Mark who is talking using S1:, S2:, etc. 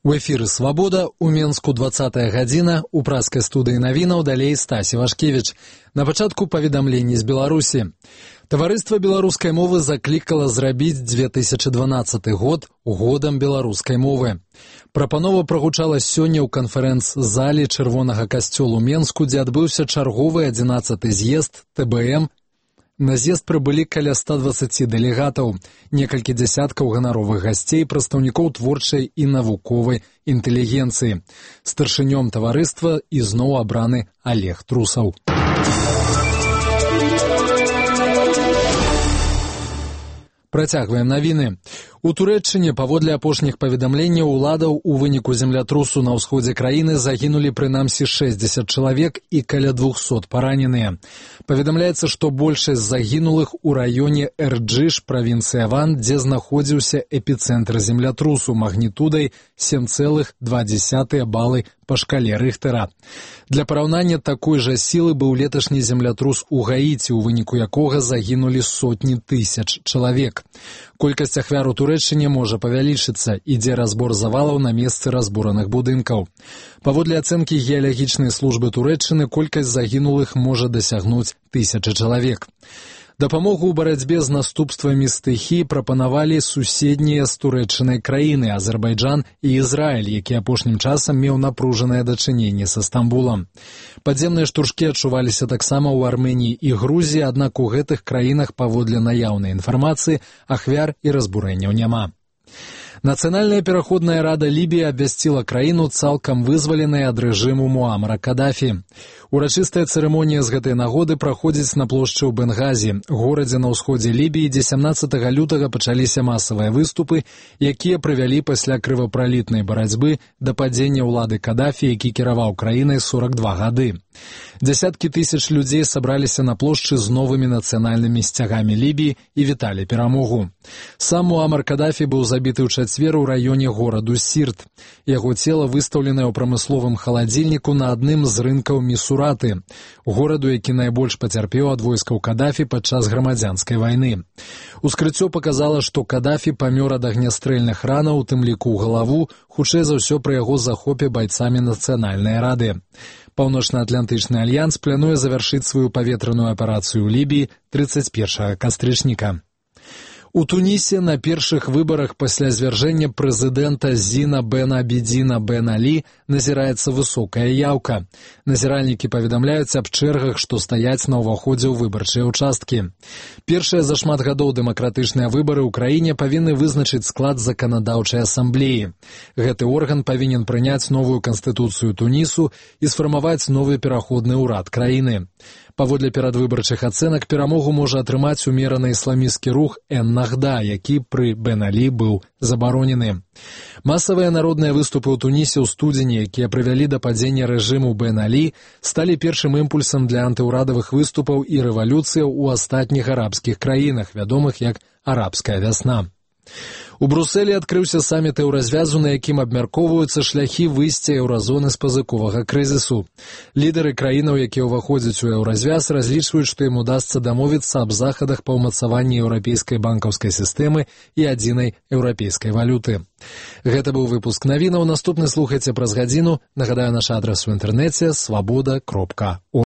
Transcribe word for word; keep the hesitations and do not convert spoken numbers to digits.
S1: У эфіры «Свабода», у Менску двадцатая гадзіна, у праскай студыі навінаў далей Стасі Вашкевіч. На пачатку паведамленні з Беларусі. Таварыства беларускай мовы заклікала зрабіць две тысячы дванаццаты год годам беларускай мовы. Прапанова прагучала сёння ў канферэнц-зале Чырвонага касцёлу Менску, дзе адбыўся чарговы адзінаццаты з'езд тэ бэ эм. На з'езд прыбылі каля ста дваццаці дэлегатаў, некалькі дзясяткаў ганаровых гасцей, прадстаўнікоў творчай і навуковай інтэлігенцыі. Старшынём таварыства ізноў абраны Олег Трусаў. Працягваем навіны. У Турэччыне, паводле апошніх паведамленняў уладаў, у выніку землятрусу на ўсходзе краіны загінулі прынамсі шэсцьдзесят чалавек і каля двухсот параненыя. Паведамляецца, што большасць загінулых у раёне Эрджыш, правінцыя Ван, дзе знаходзіўся эпіцэнтр землятрусу магнітудай сем цэлых два дзесятых балы па шкале Рыхтэра. Для параўнання, такой жа сілы быў леташні землятрус у Гаіці, у выніку якога загінулі сотні тысяч чалавек. Колькасць ахвяр у Турэччыне можа павялічыцца, ідзе разбор завалаў на месцы разбураных будынкаў. Паводле ацэнкі геалагічнай службы Турэччыны, колькасць загінулых можа дасягнуць тысячы чалавек. Дапамогу ў барацьбе з наступствамі стыхіі прапанавалі суседнія з Турэччынай краіны Азербайджан і Ізраіль, які апошнім часам меў напружанае дачыненне са Стамбулам. Падземныя штуршкі адчуваліся таксама ў Арменіі і Грузіі, аднак у гэтых краінах паводле наяўнай інфармацыі ахвяр і разбурэнняў няма. Нацыянальная пераходная рада Лібіі абвясціла краіну цалкам вызваленай ад рэжыму Муамара Кадафі. Урачыстая цырымонія з гэтай нагоды праходзіць на плошчы ў Бенгазі, горадзе на ўсходзе Лібіі, дзе сямнаццатага лютага пачаліся масавыя выступы, якія прывялі пасля крывапралітнай барацьбы да падзення ўлады Кадафі, які кіраваў краінай сорак два гады. Дзясяткі тысяч людзей сабраліся на плошчы з новымі нацыянальнымі сцягамі Лібіі і віталі перамогу. Сам Муамар Кадафі быў забіты ў чацвер у раёне гораду Сірт. Яго цела выстаўленае ў прамысловым халадзільніку на адным з рынкаў Місураты, гораду, які найбольш пацярпеў ад войскаў Кадафі падчас грамадзянскай вайны. Ускрыццё паказала, што Кадафі памёр ад агнястрэльных ранаў, у тым ліку ў галаву, хутчэй за ўсё пры яго захопе байцамі нацыянальнай рады. Паўночна-атлантычны альянс плануе завяршыць сваю паветраную аперацыю ў Лібіі трыццаць першага кастрычніка. У Тунісе на першых выбарах пасля звяржэння прэзідэнта Зіна бен Абідзіна бен Алі назіраецца высокая яўка. Назіральнікі паведамляюць аб чэргах, што стаяць на ўваходзе ў выбарчыя ўчасткі. Першыя за шмат гадоў дэмакратычныя выбары ў краіне павінны вызначыць склад заканадаўчай асамблеі. Гэты орган павінен прыняць новую канстытуцыю Тунісу і сфармаваць новы пераходны ўрад краіны. Паводле перадвыбарчых ацэнак перамогу можа атрымаць умераны ісламісцкі рух Эн-Нахда, які пры Бен Алі быў забаронены. Масавыя народныя выступы ў Тунісе ў студзені, якія прывялі да падзення рэжыму Бен Алі, сталі першым імпульсам для антыўрадавых выступаў і рэвалюцыяў у астатніх арабскіх краінах, вядомых як арабская вясна. У Брусэлі адкрыўся саміт еўразвязу, на якім абмяркоўваюцца шляхі выйсця еўразоны з пазыковага крызісу. Лідары краінаў, якія ўваходзяць у еўразвяз, разлічваюць, што ім удасца дамовіцца аб захадах па ўмацаванні еўрапейскай банкаўскай сістэмы і адзінай еўрапейскай валюты. Гэта быў выпуск навінаў. Наступны слухайце праз гадзіну. Нагадаю, наш адрас у інтэрнэце свабода кропка орг.